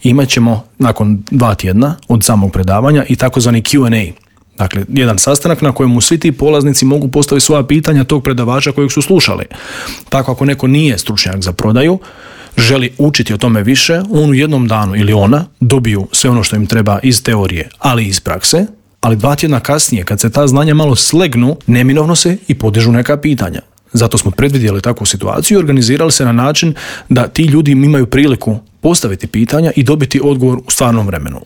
imat ćemo nakon 2 tjedna od samog predavanja i takozvani Q&A. Dakle, jedan sastanak na kojemu svi ti polaznici mogu postaviti svoja pitanja tog predavača kojeg su slušali. Tako ako neko nije stručnjak za prodaju, želi učiti o tome više, on u jednom danu ili ona dobiju sve ono što im treba iz teorije, ali i iz prakse, ali 2 tjedna kasnije, kad se ta znanja malo slegnu, neminovno se i podižu neka pitanja. Zato smo predvidjeli takvu situaciju i organizirali se na način da ti ljudi imaju priliku postaviti pitanja i dobiti odgovor u stvarnom vremenu.